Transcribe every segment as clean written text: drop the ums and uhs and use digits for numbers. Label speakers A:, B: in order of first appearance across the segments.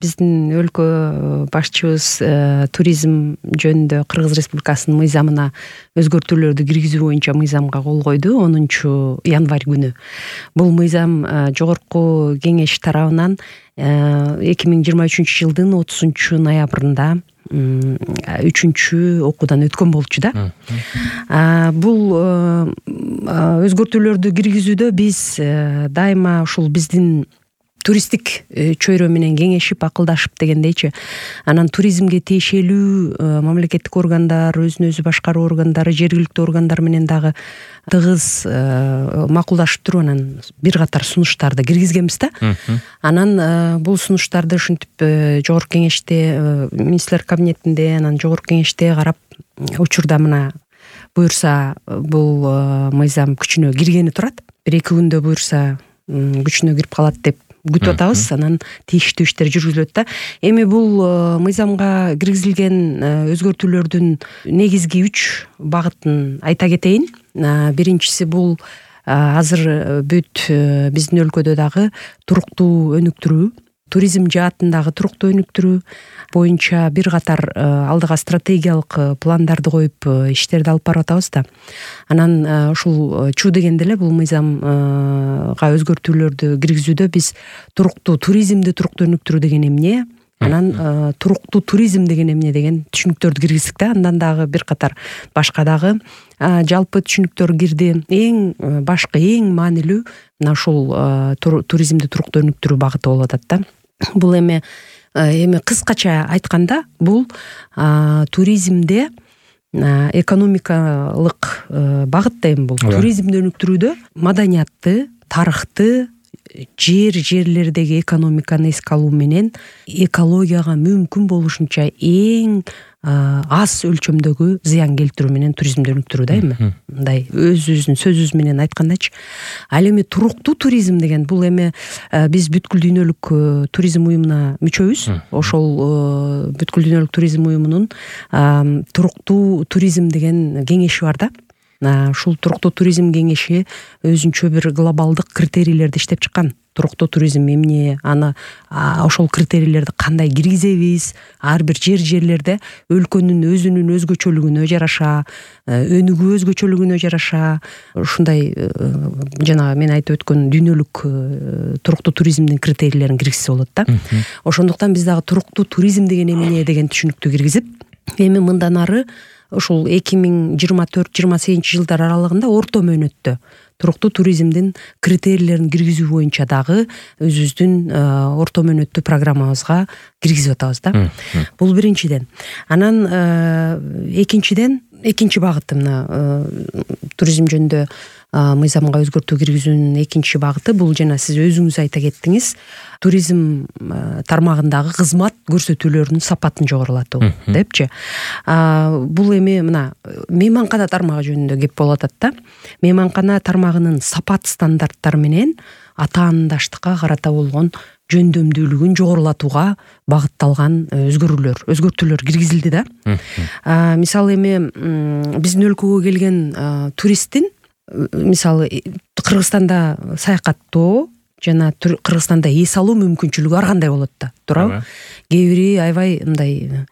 A: биздин өлкө башчыбыз туризм жөнүндө Кыргыз Республикасынын мыйзамына өзгөртүүлөрдү киргизүү боюнча мыйзамга кол койду 10 январь күнү. Бул мыйзам жогорку кеңеш тарабынан 2023 жылдын 30 ноябрында 3 окуудан өткөн болчу да. Бул өзгөртүүлөрдү киргизүүдө биз дайыма ушул биздин туристтик чөйрө менен кеңешип, акылдашып дегендейчи, анан туризмге тиешелүү мамлекеттик органдар, өзүн өзү башкаруу органдары, жергиликтүү органдар менен дагы тыгыз макулдашып туруп анан бир катар сунуштарды киргизгенбиз да. Анан бул сунуштарды ушинтип жогорку кеңеште, министрлер кабинетинде, анан жогорку кеңеште карап, учурда мына буюрса бул мыйзам күчүнө киргени турат. 1-2 күндө буюрса күчүнө кирип калат деп күтүп атабыз. Анан тийиштүү иштер жүргүзүлөт да. Эми бул мыйзамга киргизилген өзгөртүүлөрдүн негизги 3 багытын айта кетейин. Биринчиси бул азыр бүт биздин өлкөдө дагы туруктуу өнүктүрүү, туризм жаатындагы туруктуу өнүктүрүү боюнча бир катар алдыга стратегиялык пландарды коюп иштерди алып барып атабыз да. Анан ушул чуу дегенде эле бул мыйзамга өзгөртүүлөрдү киргизүүдө биз туруктуу туризмди туруктуу өнүктүрүү деген эмне, анан туруктуу туризм деген эмне деген түшүнүктөрдү киргиздик да. Андан дагы бир катар башка дагы жалпы түшүнүктөр кирди. Эң башкы, эң маанилүү мына ушул туризмди туруктуу өнүктүрүү багыты болуп атат да. Бул эми кыскача айтканда бул туризмде экономикалык багыт да. Эми бул туризмди өнүктүрүүдө маданиятты, тарыхты, жерлердеги экономиканы эске алуу менен экологияга мүмкүн болушунча эң аз өлчөмдөгү зыян келтирүү менен туризмди өнүктүрүү да. Эми мындай өзүбүздүн сөзүбүз менен айткандачы. Ал эми туруктуу туризм деген бул эми биз бүткүл дүйнөлүк туризм уюмуна мүчөбүз. Ошол бүткүл дүйнөлүк туризм уюмунун туруктуу туризм деген кеңеши бар да. Ушул туруктуу туризм кеңеши өзүнчө бир глобалдык критерийлерди иштеп чыккан. Туруктуу туризм эмне, аны ошол критерийлерди кандай киргизебиз, ар бир жерлерде өлкөнүн өзүнүн өзгөчөлүгүнө жараша, өнүгүү өзгөчөлүгүнө жараша ушундай жана мен айтып өткөн дүйнөлүк туруктуу туризмдин критерийлерин киргизсе болот да. Ошондуктан биз дагы туруктуу туризм деген эмне деген түшүнүктү киргизип, эми мындан ары ушул 2024-28 жылдар аралыгында орто мөөнөттө туруктуу туризмдин критерийлерин киргизүү боюнча дагы өзүбүздүн орто мөөнөттүү программабызга киргизип атабыз да. Бул биринчиден. Анан экинчи багыты мына туризм жөнүндө мыйзамга өзгөртүү киргизүүнүн экинчи багыты бул жана сиз өзүңүз айта кеттиңиз, туризм тармагындагы кызмат көрсөтүүлөрүнүн сапатын жогорулатуу депчи. Бул эми мына мейманкана тармагы жөнүндө кеп болуп атат да. Мейманкана тармагынын сапат стандарттары менен атаандаштыкка карата болгон жөндөмдүүлүгүн жогорулатууга багытталган өзгөртүүлөр киргизилди да. Мисалы эми биздин өлкөгө келген туристтин мисалы Кыргызстанда саякаттоо жана Кыргызстанда эс алуу мүмкүнчүлүгү ар кандай болот да, туурабы? Кээ бири аябай мындай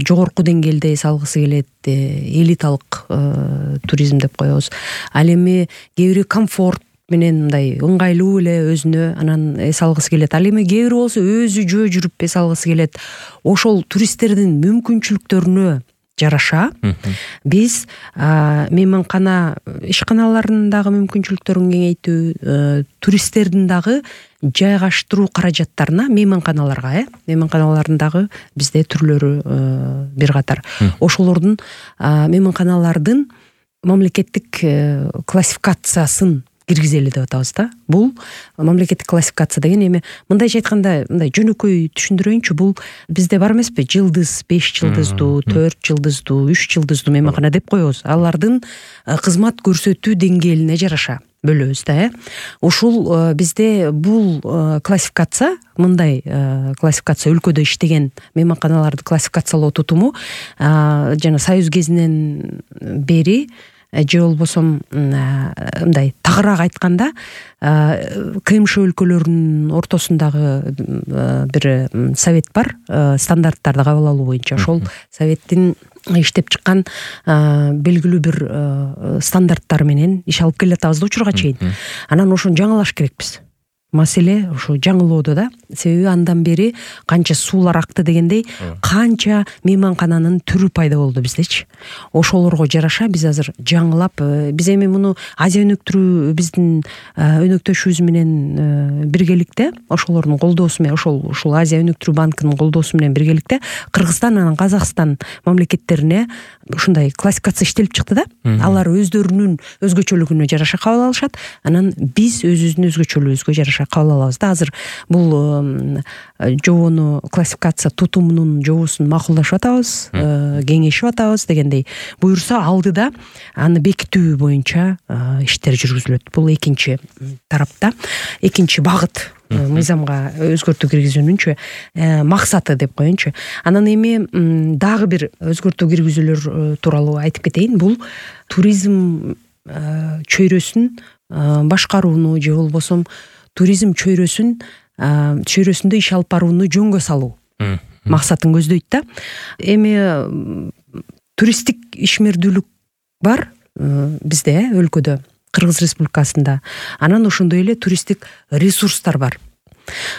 A: жогорку деңгээлде эс алгысы келет, элиталык туризм деп коебуз. Ал эми кээ бири комфорт менен мындай ыңгайлуу эле өзүнө анан эс алгысы келет. Ал эми кээ бири болсо өзү жөө жүрүп эс алгысы келет. Ошол туристтердин мүмкүнчүлүктөрүнө жараша биз мейманкана ишканаларынын дагы мүмкүнчүлүктөрүн кеңейтүү, туристтердин дагы жайгаштыруу каражаттарына мейманканаларга мейманканалардын дагы бизде түрлөрү бир катар. Ошолордун мейманканалардын мамлекеттик классификациясын киргизели деп атабыз да. Бул мамлекеттик классификация деген эми мындайча айтканда мындай жөнөкөй түшүндүрөйүнчү, бул бизде бар эмеспи? Жылдыз, 5 жылдыздуу, 4 жылдыздуу, 3 жылдыздуу мейманкана деп коебуз. Алардын кызмат көрсөтүү деңгээлине жараша бөлөбүз да. Ушул бизде бул классификация, мындай классификация өлкөдө иштеген мейманканаларды классификациялоо тутуму жана Союз кезинен бери же болбосо мындай тагыраак айтканда КМШ өлкөлөрүнүн ортосундагы бир совет бар, стандарттарды кабыл алуу боюнча. Ошол советтин иштеп чыккан белгилүү бир стандарттары менен иш алып келатабыз да учурга чейин. Анан ошону жаңылаш керекпиз. Маселе ушу жаңылоодо да. Себеби андан бери канча суулар акты дегендей, канча мейманкананын түрү пайда болду биздечи. Ошолорго жараша биз азыр жаңылап, биз эми муну Азия өнөктүрүү биздин өнөктөшүбүз менен биргеликте, ошолордун колдоосу менен, ушул Азия өнөктүрүү банкынын колдоосу менен биргеликте Кыргызстан анан Казакстан мамлекеттерине ушундай классификация иштелип чыкты да. Алар өздөрүнүн өзгөчөлүгүнө жараша кабыл алышат, анан биз өзүбүздүн өзгөчөлүгүбүзгө жараша кабыл алабыз да. Азыр бул жобону классификация тутумунун жобосун макулдашып атабыз, кеңешип атабыз дегендей. Буюрса алдыда аны бекитүү боюнча иштер жүргүзүлөт. Бул экинчи тарапта, экинчи багыт мыйзамга өзгөртүү киргизүүнүнчү максаты деп коеюнчу. Анан эми дагы бир өзгөртүү киргизүүлөр тууралуу айтып кетейин. Бул туризм чөйрөсүн башкарууну же болбосо туризм чөйрөсүндө иш алып барууну жөнгө салуу максатын көздөйт да. Эми туристтик ишмердүүлүк бар бизде, өлкөдө, Кыргыз Республикасында. Анан ошондой эле туристтик ресурстар бар.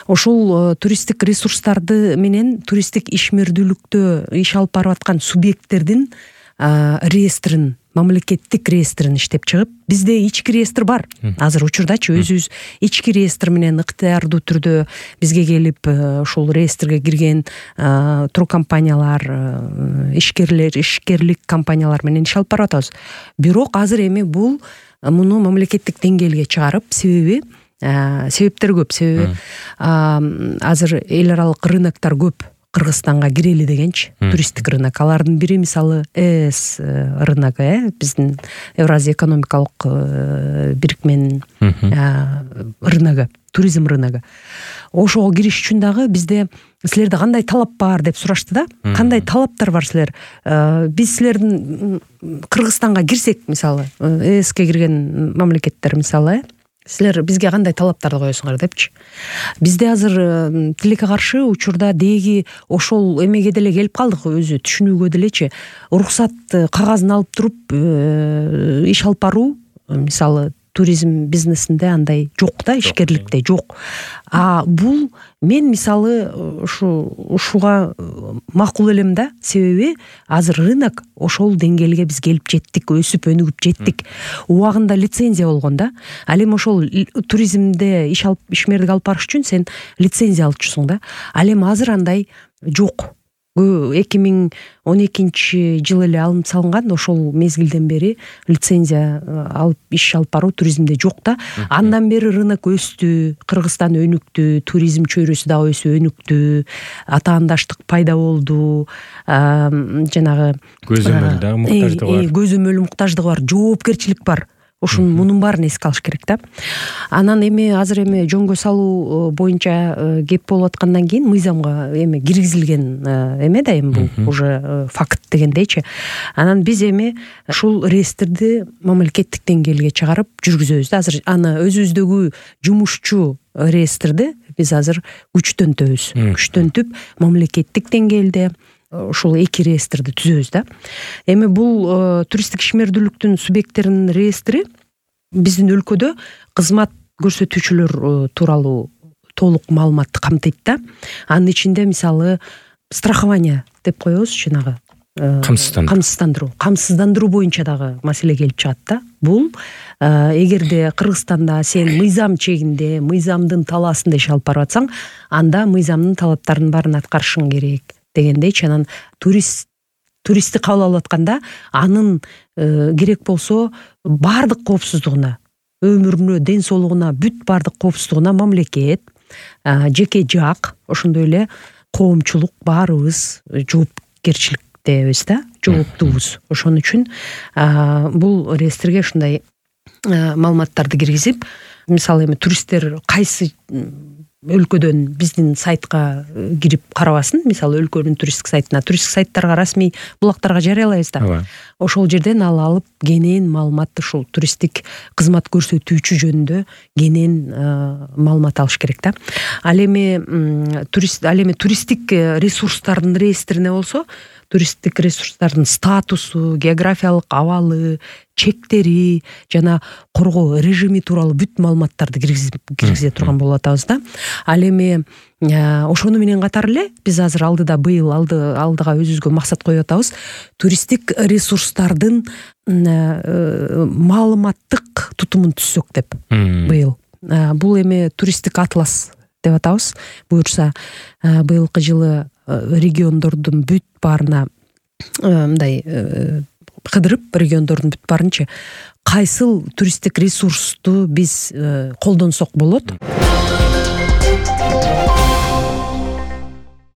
A: Ошол туристтик ресурстарды менен туристтик ишмердүүлүктө иш алып барып аткан субъекттердин реестрин, мамлекеттик реестрин иштеп чыгып, бизде ички реестр бар. Азыр учурдачы өзүбүз ички реестр менен ыктыярдуу түрдө бизге келип, ушул реестрге кирген туркомпаниялар, ишкерлик компаниялар менен иш алып барып атабыз. Бирок азыр эми муну мамлекеттик деңгээлге чыгарып, себептер көп. Себеби азыр эл аралык рыноктор көп Кыргызстанга кирели дегенчи, туристтик рынок. Алардын бири мисалы ЭС рыногу, биздин Евразия экономикалык бирикменин рыногу, туризм рыногу. Ошого кириш үчүн дагы бизде силерде кандай талап бар деп сурашты да. Кандай талаптар бар силер? Биз силердин Кыргызстанга кирсек, мисалы, ЭСке кирген мамлекеттер мисалы, силер бизге кандай талаптарды коесуңар депчи. Бизде азыр тилекке каршы учурда деги ошол эмеге деле келип калдык, өзү түшүнүүгө делечи. Уруксат кагазын алып туруп иш алып баруу, мисалы, туризм бизнесинде андай жок да, ишкерликте жок. Бул мен мисалы ушуга макул элем да, себеби азыр рынок ошол деңгээлге биз келип жеттик, өсүп өнүгүп жеттик. Убагында лицензия болгон да. Ал эми ошол туризмде ишмердик алып барыш үчүн сен лицензия алчусуң да. Ал эми азыр андай жок. 2012 жыл эле алынып салынган, ошол мезгилден бери лицензия алып иш алып баруу туризмде жок да. Андан бери рынок өстү, Кыргызстан өнүктү, туризм чөйрөсү дагы өсүп өнүктү, атаандаштык пайда болду, жанагы көзөмөл муктаждыгы бар, жоопкерчилик бар. Ошонун мунун баарын эске алыш керек да. Анан эми азыр жөнгө салуу боюнча кеп болуп аткандан кийин мыйзамга киргизилген да, бул уже факт дегендейчи. Анан биз ушул реестрди мамлекеттик деңгээлге чыгарып жүргүзөбүз да. Азыр аны өзүбүздөгү жумушчу реестрди биз азыр күчтөнтүп мамлекеттик деңгээлде ушул эки реестрди түзөбүз да. Эми бул туристтик ишмердүүлүктүн субъекттеринин реестри биздин өлкөдө кызмат көрсөтүүчүлөр тууралуу толук маалыматты камтыйт да. Анын ичинде мисалы страхование деп коебуз, жанагы камсыздандыруу боюнча дагы маселе келип чыгат да. Бул эгерде Кыргызстанда сен мыйзам чегинде, мыйзамдын талаасында иш алып барып атсаң, анда мыйзамдын талаптарынын баарын аткарышың керек дегендейчи. Анан туристти кабыл алып атканда анын керек болсо баардык коопсуздугуна, өмүрүнө, ден соолугуна, бүт баардык коопсуздугуна мамлекет, жеке жак, ошондой эле коомчулук баарыбыз жоопкерчиликтебиз да, жооптуубуз. Ошон үчүн бул реестрге ушундай маалыматтарды киргизип, мисалы туристтер кайсы өлкөдөн биздин сайтка кирип карабасын, мисалы өлкөнүн туристтик сайттарга, расмий булактарга жарыялайбыз да. ошол жерден алып кенен маалымат ушул туристтик кызмат көрсөтүүчү жөнүндө кенен маалымат алыш керек да. Ал эми туристтик ресурстардын реестрине болсо, туристтик ресурстардын статусу, географиялык абалы, чектери жана коргоо режими тууралуу бүт маалыматтарды киргизе турган болуп атабыз да. Ал эми ошону менен катар эле биз азыр алдыга өзүбүзгө максат коюп атабыз. Туристтик ресурстардын маалыматтык тутумун түзсөк деп быйыл. Бул эми туристтик атлас деп атабыз. Буюрса быйылкы жылы региондордун бүт баарына мындай кыдырып, региондордун бүт баарынчы кайсыл туристтик ресурсту биз колдонсок болот.